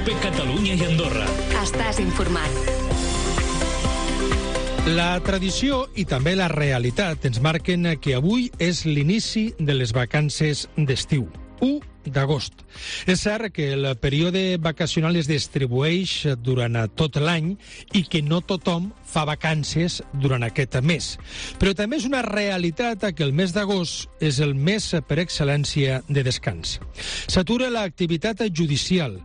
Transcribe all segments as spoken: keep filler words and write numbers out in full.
Cope Catalunya i Andorra. Estàs informat. La tradició i també la realitat ens marquen que avui és l'inici de les vacances d'estiu, u d'agost. És cert que el període vacacional es distribueix durant tot l'any i que no tothom fa vacances durant aquest mes. Però també és una realitat que el mes d'agost és el mes per excel·lència de descans. S'atura l'activitat judicial,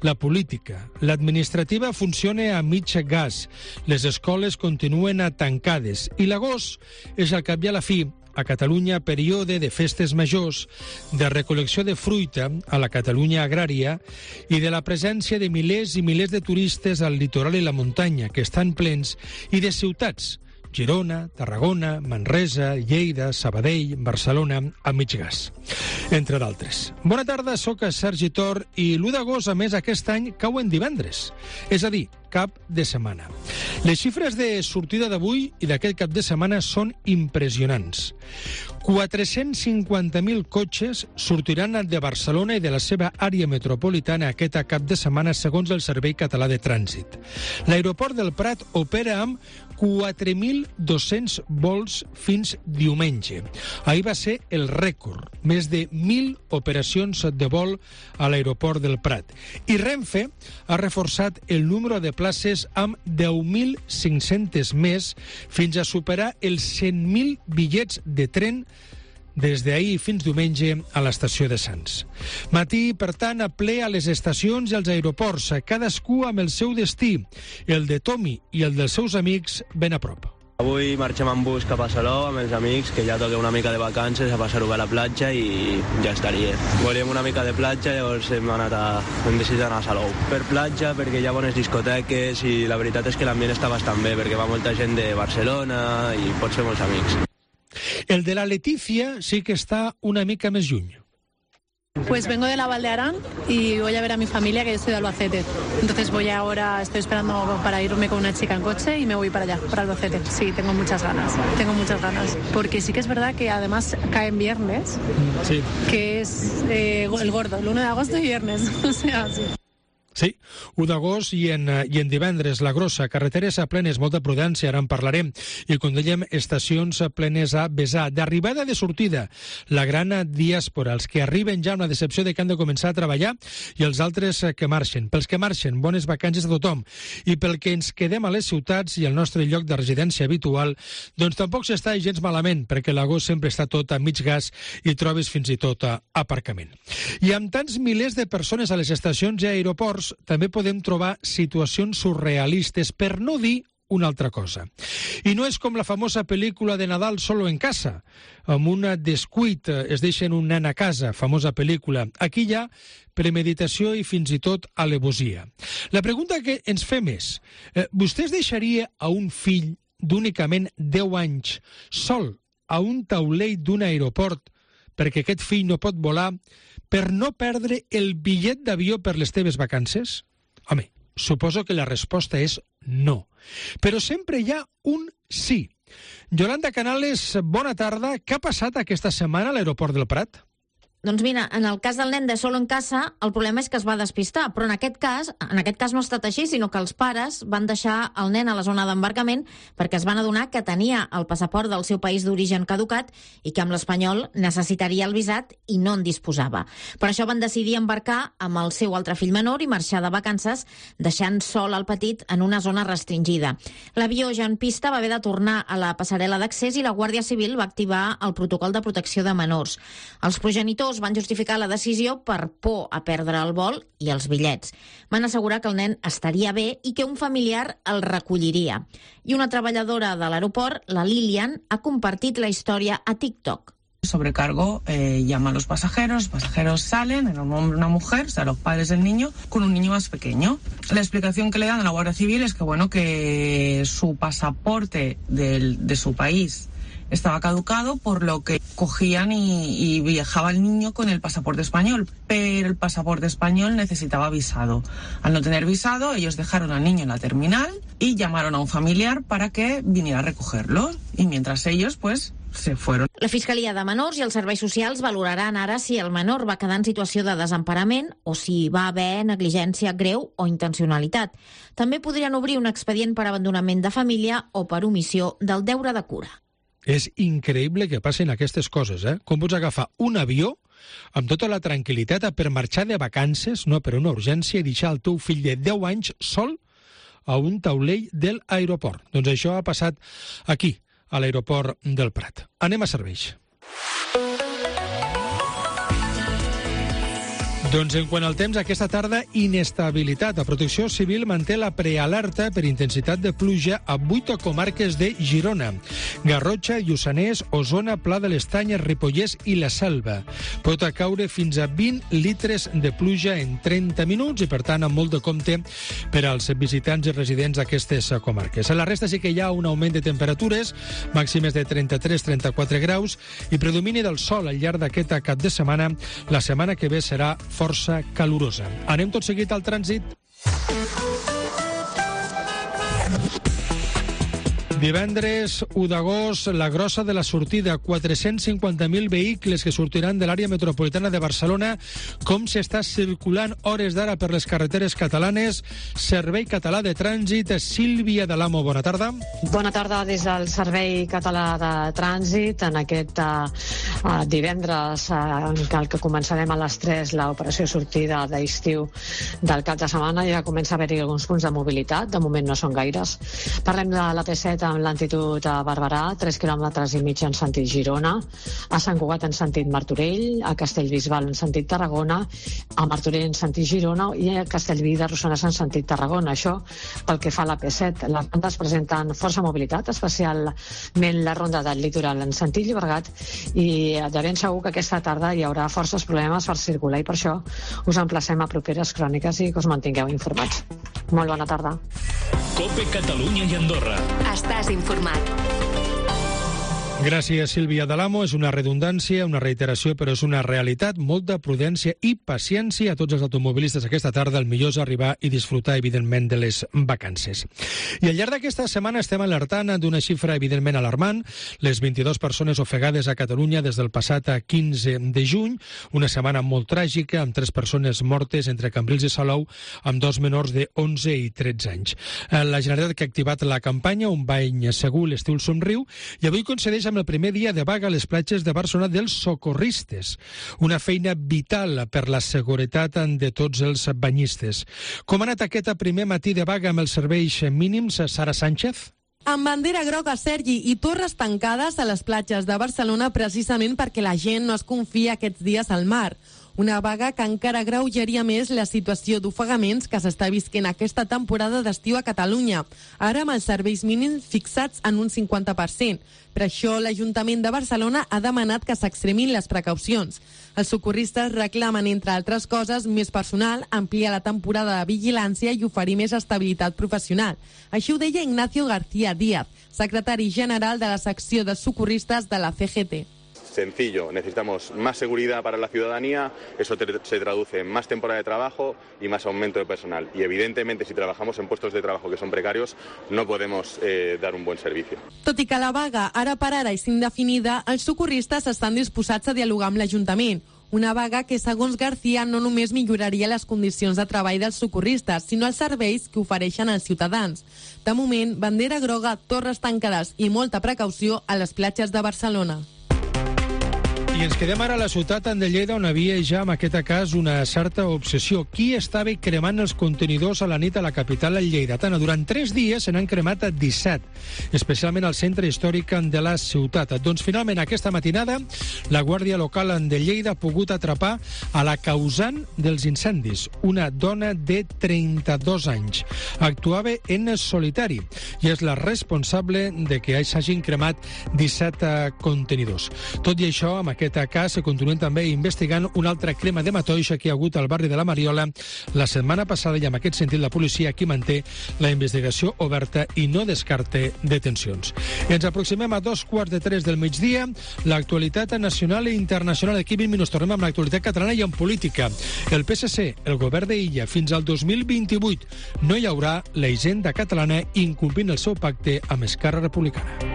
la política, l'administrativa funciona a mig gas, les escoles continuen tancades i l'agost és al cap i a la fi a Catalunya període de festes majors, de recol·lecció de fruita a la Catalunya agrària i de la presència de milers i milers de turistes al litoral i la muntanya, que estan plens, i de ciutats, Girona, Tarragona, Manresa, Lleida, Sabadell, Barcelona, a mig gas, entre d'altres. Bona tarda, soc Sergi Tor i l'u d'agost, a més, aquest any cau en divendres, és a dir, cap de setmana. Les xifres de sortida d'avui i d'aquest cap de setmana són impressionants. quatre-cents cinquanta mil cotxes sortiran de Barcelona i de la seva àrea metropolitana aquest cap de setmana, segons el Servei Català de Trànsit. L'aeroport del Prat opera amb quatre mil dos-cents vols fins diumenge. Ahir va ser el rècord, més de mil operacions de vol a l'aeroport del Prat. I Renfe ha reforçat el número de places amb deu mil cinc-cents més fins a superar els cent mil bitllets de tren des d'ahir fins diumenge a l'estació de Sants. Matí, per tant, a ple a les estacions i als aeroports, cadascú amb el seu destí, el de Tomi i el dels seus amics ben a prop. Avui marxem en bus cap a Salou amb els amics, que ja toca una mica de vacances, a passar-ho bé a la platja i ja estaria. Volíem una mica de platja, llavors hem, anat a, hem decidit anar a Salou. Per platja, perquè hi ha bones discoteques i la veritat és que l'ambient està bastant bé, perquè va molta gent de Barcelona i pot ser molts amics. El de la Letícia sí que està una mica més lluny. Pues vengo de la Val de Arán y voy a ver a mi familia, que yo soy de Albacete. Entonces voy ahora, estoy esperando para irme con una chica en coche y me voy para allá, para Albacete. Sí, tengo muchas ganas, tengo muchas ganas. Porque sí que es verdad que además cae en viernes, sí, que es eh, el gordo, el uno de agosto y viernes, o sea, sí. Sí, u d'agost i en, i en divendres, la grossa, carreteres a plenes, molta prudència, ara en parlarem, i com dèiem, estacions plenes a besar. D'arribada de sortida, la gran diàspora, els que arriben ja amb la decepció de que han de començar a treballar i els altres que marxen. Pels que marxen, bones vacances a tothom. I pel que ens quedem a les ciutats i al nostre lloc de residència habitual, doncs tampoc s'està gens malament, perquè l'agost sempre està tot a mig gas i trobes fins i tot a aparcament. I amb tants milers de persones a les estacions i aeroports, també podem trobar situacions surrealistes, per no dir una altra cosa. I no és com la famosa pel·lícula de Nadal Solo en Casa, amb un descuit es deixen un nen a casa, famosa pel·lícula. Aquí hi ha premeditació i fins i tot alevosia. La pregunta que ens fem és, eh, vostè deixaria a un fill d'únicament deu anys sol a un taulell d'un aeroport perquè aquest fill no pot volar, per no perdre el bitllet d'avió per les teves vacances? Home, suposo que la resposta és no. Però sempre hi ha un sí. Yolanda Canales, bona tarda. Què ha passat aquesta setmana a l'aeroport del Prat? Doncs mira, en el cas del nen de Solo en Casa, el problema és que es va despistar, però en aquest cas en aquest cas no ha estat així, sinó que els pares van deixar el nen a la zona d'embarcament perquè es van adonar que tenia el passaport del seu país d'origen caducat i que amb l'espanyol necessitaria el visat i no en disposava. Per això van decidir embarcar amb el seu altre fill menor i marxar de vacances, deixant sol el petit en una zona restringida. L'avió ja en pista va haver de tornar a la passarel·la d'accés i la Guàrdia Civil va activar el protocol de protecció de menors. Els progenitors van justificar la decisió per por a perdre el vol i els bitllets. Van assegurar que el nen estaria bé i que un familiar el recolliria. I una treballadora de l'aeroport, la Lilian, ha compartit la història a TikTok. Sobrecargo eh, llama a los pasajeros, los pasajeros salen, era un hombre, una mujer, o sea, los padres del niño, con un niño más pequeño. La explicación que le dan a la Guardia Civil es que, bueno, que su pasaporte del, de su país estaba caducado, por lo que cogían y, y viajaba el niño con el pasaporte español, pero el pasaporte español necesitaba visado. Al no tener visado, ellos dejaron al niño en la terminal y llamaron a un familiar para que viniera a recogerlo. Y mientras ellos, pues, se fueron. La Fiscalia de Menors i els serveis socials valoraran ara si el menor va quedar en situació de desemparament o si va haver negligència greu o intencionalitat. També podrien obrir un expedient per abandonament de família o per omissió del deure de cura. És increïble que passin aquestes coses, eh? Com pots agafar un avió amb tota la tranquil·litat per marxar de vacances, no per una urgència, i deixar el teu fill de deu anys sol a un taulell de l'aeroport. Doncs això ha passat aquí, a l'aeroport del Prat. Anem a serveis. Doncs en quant al temps, aquesta tarda, inestabilitat. La Protecció Civil manté la prealerta per intensitat de pluja a vuit comarques de Girona: Garrotxa, Lluçanès, Osona, Pla de l'Estany, Ripollès i la Selva. Pot caure fins a vint litres de pluja en trenta minuts i, per tant, amb molt de compte per als visitants i residents d'aquestes comarques. A la resta sí que hi ha un augment de temperatures, màximes de trenta-tres a trenta-quatre graus, i predomini del sol al llarg d'aquest cap de setmana. La setmana que ve serà força calorosa. Anem tot seguit al trànsit. Divendres u d'agost, la grossa de la sortida, quatre-cents cinquanta mil vehicles que sortiran de l'àrea metropolitana de Barcelona. Com s'està circulant hores d'ara per les carreteres catalanes? Servei Català de Trànsit, Sílvia Dalamo, bona tarda. Bona tarda des del Servei Català de Trànsit. En aquest uh, uh, divendres, uh, en el que començarem a les tres, l'operació sortida d'estiu del cap de setmana, ja comença a haver-hi alguns punts de mobilitat. De moment no són gaires. Parlem de la P set amb lentitud a Barberà, tres quilòmetres i mig en sentit Girona, a Sant Cugat en sentit Martorell, a Castellbisbal en sentit Tarragona, a Martorell en sentit Girona i a Castellví de Rossonès en sentit Tarragona. Això pel que fa a la P set. Les rondes presenten força mobilitat, especialment la ronda del litoral en sentit Llobregat, i de ben segur que aquesta tarda hi haurà forces problemes per circular i per això us emplacem a properes cròniques i que us mantingueu informats. Molt bona tarda. COPE Catalunya i Andorra. Estàs informat. Gràcies, Sílvia Dalamo. És una redundància, una reiteració, però és una realitat. Molta prudència i paciència a tots els automobilistes aquesta tarda. El millor és arribar i disfrutar, evidentment, de les vacances. I al llarg d'aquesta setmana estem alertant d'una xifra, evidentment, alarmant. Les vint-i-dues persones ofegades a Catalunya des del passat quinze de juny. Una setmana molt tràgica, amb tres persones mortes entre Cambrils i Salou, amb dos menors de onze i tretze anys. La Generalitat que ha activat la campanya Un bany segur, l'estiu somriu, i avui concedeix amb el primer dia de vaga a les platges de Barcelona dels socorristes. Una feina vital per la seguretat de tots els banyistes. Com ha anat aquest primer matí de vaga amb els serveis mínims, Sara Sánchez? Amb bandera groga, Sergi, i torres tancades a les platges de Barcelona precisament perquè la gent no es confia aquests dies al mar. Una vaga que encara agreujaria més la situació d'ofegaments que s'està visquent aquesta temporada d'estiu a Catalunya, ara amb els serveis mínims fixats en un cinquanta per cent. Per això l'Ajuntament de Barcelona ha demanat que s'extremin les precaucions. Els socorristes reclamen, entre altres coses, més personal, ampliar la temporada de vigilància i oferir més estabilitat professional. Així ho deia Ignacio García Díaz, secretari general de la secció de socorristes de la C G T. Sencillo, necesitamos más seguridad para la ciudadanía, eso se traduce en más temporada de trabajo y más aumento de personal. Y evidentemente, si trabajamos en puestos de trabajo que son precarios, no podemos eh, dar un buen servicio. Tot i que la vaga ara per ara és indefinida, els socorristes estan disposats a dialogar amb l'Ajuntament. Una vaga que, segons García, no només milloraria les condicions de treball dels socorristes, sinó els serveis que ofereixen als ciutadans. De moment, bandera groga, torres tancades i molta precaució a les platges de Barcelona. I ens quedem ara a la ciutat de Lleida, on havia ja, en aquest cas, una certa obsessió. Qui estava cremant els contenidors a la nit a la capital lleidatana? Durant tres dies se n'han cremat disset, especialment al centre històric de la ciutat. Doncs finalment aquesta matinada la Guàrdia Local de Lleida ha pogut atrapar a la causant dels incendis, una dona de trenta-dos anys. Actuava en solitari i és la responsable de que s'hagin cremat disset contenidors. Tot i això, amb aquest cas se continuen també investigant una altra crema de matoixa que hi ha hagut al barri de la Mariola la setmana passada, i en aquest sentit la policia aquí manté la investigació oberta i no descarte detencions. Ens aproximem a dos quarts de tres del migdia. L'actualitat nacional i internacional. Aquí vint minuts tornem amb l'actualitat catalana i en política. El P S C, el govern d'Illa, fins al dos mil vint-i-vuit no hi haurà la hisenda catalana incomplint el seu pacte amb Esquerra Republicana.